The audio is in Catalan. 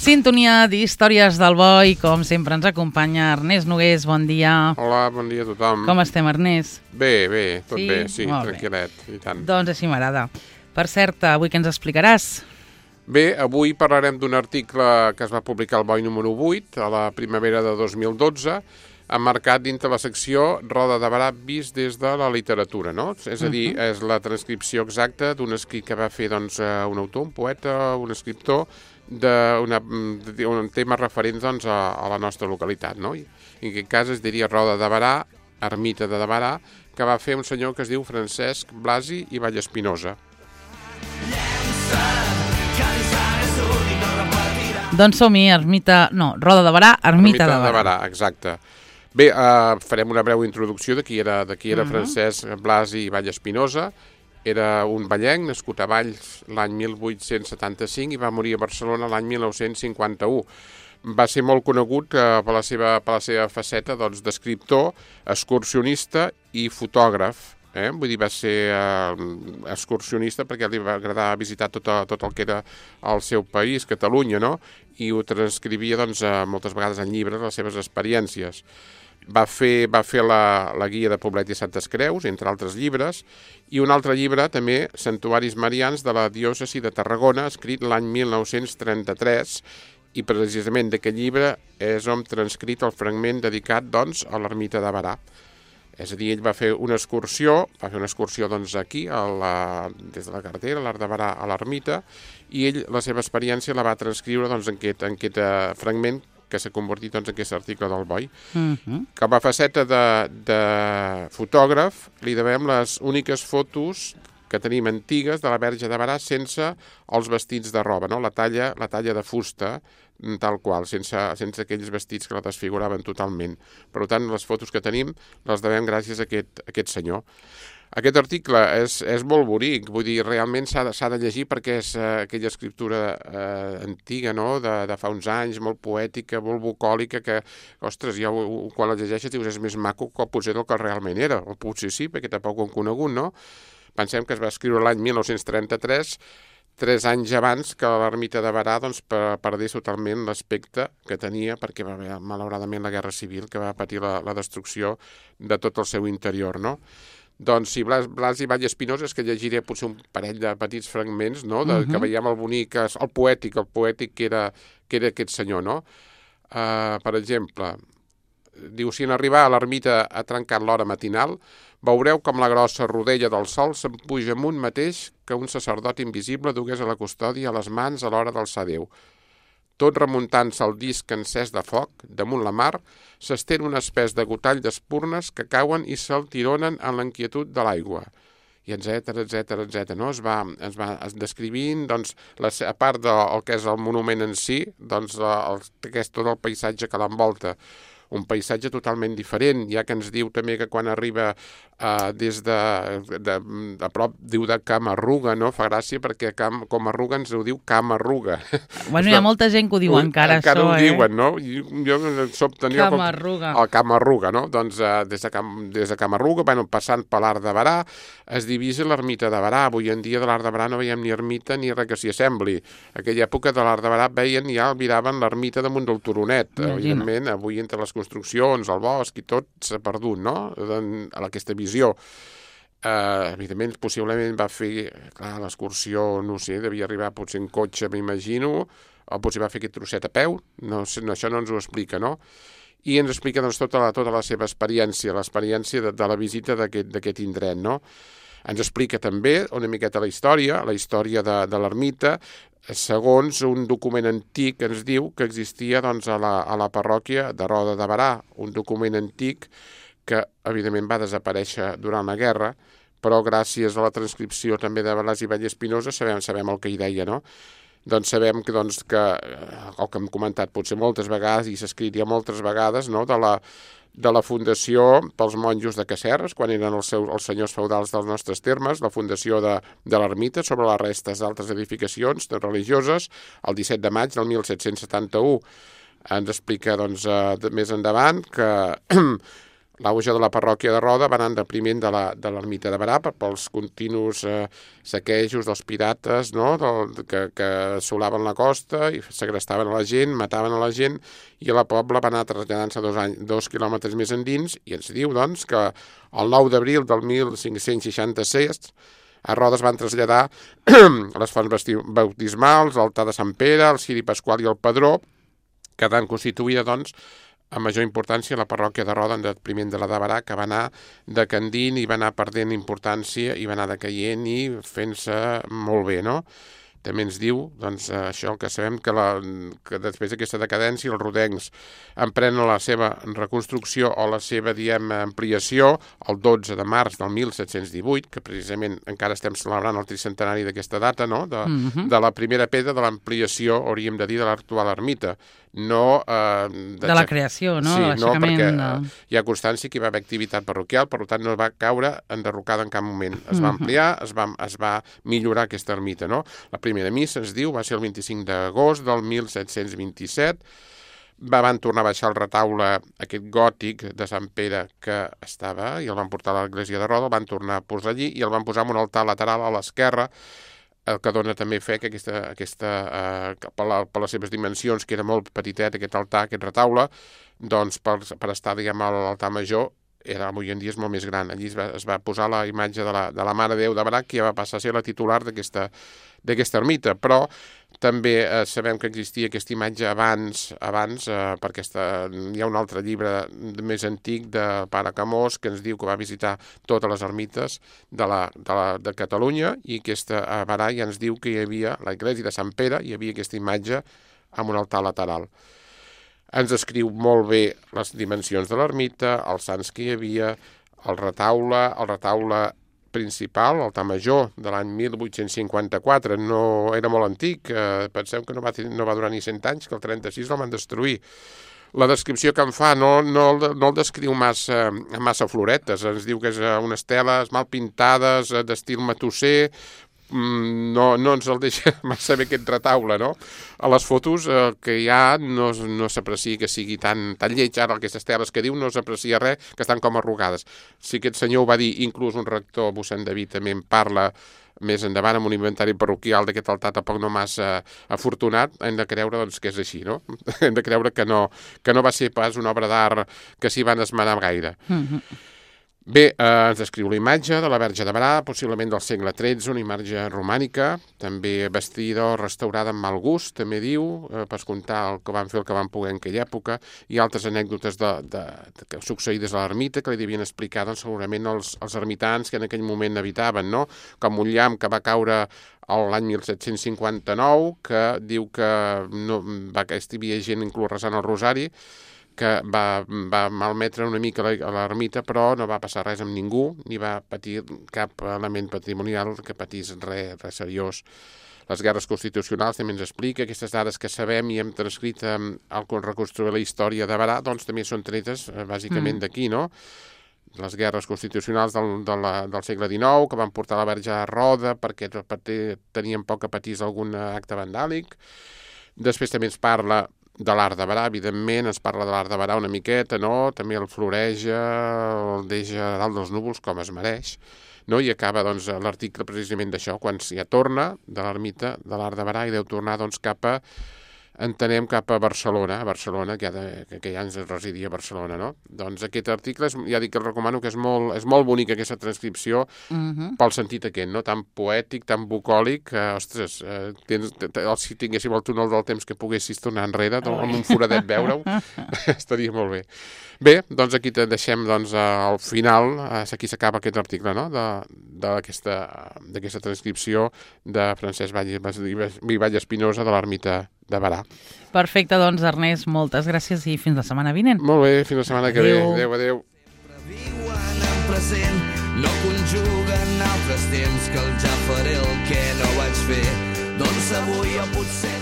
Sintonia d'Històries del Bo i com sempre ens acompanya Ernest Nogués, bon dia. Hola, bon dia a tothom. Com estem, Ernest? Bé, tot Sí? bé, sí, Molt tranquil·let, i tant. Doncs així m'agrada. Per cert, avui què ens explicaràs? Bé, avui parlarem d'un article que es va publicar al Boi número 8, a la primavera de 2012, emmarcat dintre la secció Roda de Barà vist des de la literatura, no? És a dir, és la transcripció exacta d'un escrit que va fer doncs, un autor, un poeta, un escriptor, d'un tema referent doncs, a la nostra localitat, no? I en aquest cas es diria Roda de Barà, ermita de Barà, que va fer un senyor que es diu Francesc Blasi i Vallespinosa. Doncs som-hi, Roda de Barà, ermita de Barà. Exacte. Bé, farem una breu introducció de qui era Francesc Blasi i Vallespinosa. Era un vallenc, nascut a Valls l'any 1875 i va morir a Barcelona l'any 1951. Va ser molt conegut per la seva faceta d'escriptor, excursionista i fotògraf. Vull dir, va ser excursionista perquè li va agradar visitar tot el que era el seu país, Catalunya, no? I ho transcrivia moltes vegades en llibres, les seves experiències. Va fer la guia de Poblet i Santes Creus, entre altres llibres, i un altre llibre, també, Santuaris Marians de la diòcesi de Tarragona, escrit l'any 1933, i precisament d'aquest llibre és on transcrit el fragment dedicat, doncs, a l'ermita de Barà. És a dir, ell va fer una excursió aquí, des de la carretera, a l'Arc de Barà, a l'ermita, i ell la seva experiència la va transcriure en aquest fragment que s'ha convertit en aquest article del Boi. Com a faceta de fotògraf, li devem les úniques fotos que tenim antigues de la Verge de Barà sense els vestits de roba, no? La talla de fusta, tal qual, sense aquells vestits que la desfiguraven totalment. Per tant, les fotos que tenim les devem gràcies a aquest senyor. Aquest article és molt bonic, vull dir, realment s'ha de llegir perquè és aquella escriptura antiga, no?, de fa uns anys, molt poètica, molt bucòlica, que, ostres, quan la llegeixes dius és més maco que potser del que realment era, o potser sí, perquè tampoc ho hem conegut, no? Pensem que es va escriure l'any 1933, 3 anys abans que l'ermita de Barà perdés totalment l'aspecte que tenia perquè va haver, malauradament, la Guerra Civil que va patir la destrucció de tot el seu interior, no? Doncs si Blasi i Vallespinosa, és que llegiré potser un parell de petits fragments, no?, que veiem el bonic, el poètic que era aquest senyor, no? Per exemple, diu, si en arribar a l'ermita ha trencat l'hora matinal, veureu com la grossa rodella del sol se'n puja amunt mateix que un sacerdot invisible dugués a la custòdia a les mans a l'hora d'alçar Déu. Tot remuntant-se al disc encès de foc, damunt la mar, s'estén un espès de gotall d'espurnes que cauen i se'l tironen en l'inquietud de l'aigua. I etcètera, no? Es va descrivint, doncs, a part del que és el monument en si, doncs, tot el paisatge que l'envolta. Un paisatge totalment diferent, ja que ens diu també que quan arriba des de prop, diu de Camarruga, no? Fa gràcia perquè Comarruga ens ho diu Camarruga. Bueno, hi ha molta gent que ho diu encara això, ho diuen, no? Camarruga. El Camarruga, no? Doncs des de Camarruga, passant per l'Arc de Barà, es divisa l'ermita de Barà. Avui en dia de l'Arc de Barà no veiem ni ermita ni res que s'hi assembli. Aquella època de l'Arc de Barà miraven l'ermita damunt del turonet. Evidentment, avui entre les construccions, el bosc i tot s'ha perdut, no?, aquesta visió. Evidentment, possiblement va fer l'excursió, no sé, devia arribar potser en cotxe, m'imagino, o potser va fer aquest trosset a peu, no sé, això no ens ho explica, no? I ens explica doncs, tota la seva experiència, l'experiència de la visita d'aquest indret, no? Ens explica també una miqueta la història de l'ermita, segons un document antic que ens diu que existia doncs, a la parròquia de Roda de Barà, un document antic que evidentment va desaparèixer durant la guerra, però gràcies a la transcripció també de Blasi i Vallespinosa sabem el que hi deia, no? Doncs sabem que el que hem comentat potser moltes vegades, i s'ha escrit ja moltes vegades, no?, de la fundació pels monjos de Casserres, quan eren els senyors feudals dels nostres termes, la fundació de l'ermita sobre les restes d'altres edificacions religioses, el 17 de maig del 1771. Ens explica, doncs, més endavant que l'auge de la parròquia de Roda va anar en detriment de l'ermita de Berà pels continus saquejos dels pirates, no? que assolaven la costa i segrestaven a la gent, mataven a la gent, i la pobla va anar traslladant-se 2 quilòmetres més endins, i ens diu doncs, que el 9 d'abril del 1566 a Roda es van traslladar les fonts bautismals, l'altar de Sant Pere, el ciri pasqual i el padró, quedant constituïda, doncs, a major importància la parròquia de Roda en detriment de la de Berà, que va anar decandint i va anar perdent importància i va anar decaient i fent-se molt bé, no? També ens diu, doncs, això que sabem que després d'aquesta decadència els rodencs emprenen la seva reconstrucció o la seva, ampliació el 12 de març del 1718, que precisament encara estem celebrant el tricentenari d'aquesta data, no? De la primera pedra de l'ampliació, hauríem de dir, de l'actual ermita. No, de la creació, no? Sí, no, perquè hi ha constància que hi va haver activitat parroquial, per tant no va caure enderrocada en cap moment. Es va ampliar, es va millorar aquesta ermita, no? La primera missa, ens diu, va ser el 25 d'agost del 1727, van tornar a baixar el retaule aquest gòtic de Sant Pere que estava, i el van portar a l'església de Roda, el van tornar a posar allí i el van posar en un altar lateral a l'esquerra, el que dona també fe que per les seves dimensions, que era molt petitet aquest altar, aquest retaule, doncs per estar, diguem, a l'altar major, avui en dia és molt més gran. Allí es va posar la imatge de la Mare de Déu de Berà, que ja va passar a ser la titular d'aquesta ermita, però també sabem que existia aquesta imatge abans perquè hi ha un altre llibre més antic de Pare Camós que ens diu que va visitar totes les ermites de Catalunya, i a Berà ja ens diu que hi havia l'església de Sant Pere, hi havia aquesta imatge amb un altar lateral. Ens descriu molt bé les dimensions de l'ermita, els sants que hi havia, el retaule principal, l'altar major, de l'any 1854, no era molt antic, penseu que no va durar ni 100 anys, que el 36 el van destruir. La descripció que en fa no el descriu massa floretes, ens diu que és unes teles mal pintades, d'estil matusser, no ens el deixa massa bé aquest retaule, no? A les fotos que hi ha no s'aprecia que sigui tan lleig, ara aquestes teles que diu no s'aprecia res, que estan com arrugades. Si aquest senyor ho va dir, inclús un rector, mossèn David, també en parla més endavant amb un inventari parroquial d'aquest altar tampoc no massa afortunat, hem de creure doncs, que és així, no? Hem de creure que no va ser pas una obra d'art que s'hi van esmenar gaire. Bé, ens descriu la imatge de la Verge de Berà, possiblement del segle XIII, una imatge romànica, també vestida o restaurada amb mal gust, també diu, per contar el que van fer, el que van poder en aquella època, i altres anècdotes succeïdes a l'ermita que li devien explicar doncs, segurament els ermitans que en aquell moment habitaven, no? Com un llamp que va caure l'any 1759, que diu que hi havia gent inclús resant el rosari, que va malmetre una mica a l'ermita, però no va passar res amb ningú, ni va patir cap element patrimonial que patís res seriós. Les guerres constitucionals també ens explica, aquestes dades que sabem i hem transcrit al reconstruir la història de Berà, doncs també són tretes bàsicament d'aquí, no? Les guerres constitucionals del segle XIX, que van portar la Verge a Roda perquè tenien por que patís algun acte vandàlic. Després també ens parla de l'art de Berà, evidentment, ens parla de l'art de Berà una miqueta, no? També el floreja, el deixa dalt dels núvols com es mereix, no? I acaba doncs, l'article precisament d'això, quan ja torna de l'ermita de l'art de Berà i deu tornar doncs, cap a Barcelona, que ja ens residia a Barcelona, no? Doncs aquest article, ja dic que el recomano, que és molt bonic aquesta transcripció pel sentit aquest, no? Tan poètic, tan bucòlic, ostres, si tinguéssim el túnel del temps que poguessis tornar enrere, amb un foradet veure-ho, estaria molt bé. Bé, doncs aquí te deixem al final, aquí s'acaba aquest article, no? D'aquesta transcripció de Francesc Vall Espinosa de l'ermita de Berà. Perfecte, doncs Ernest, moltes gràcies i fins la setmana vinent. Molt bé, fins la setmana que ve. Adéu. Sempre viuen en present, no conjuguen altres temps que el ja faré el que no vaig fer. Doncs avui o potser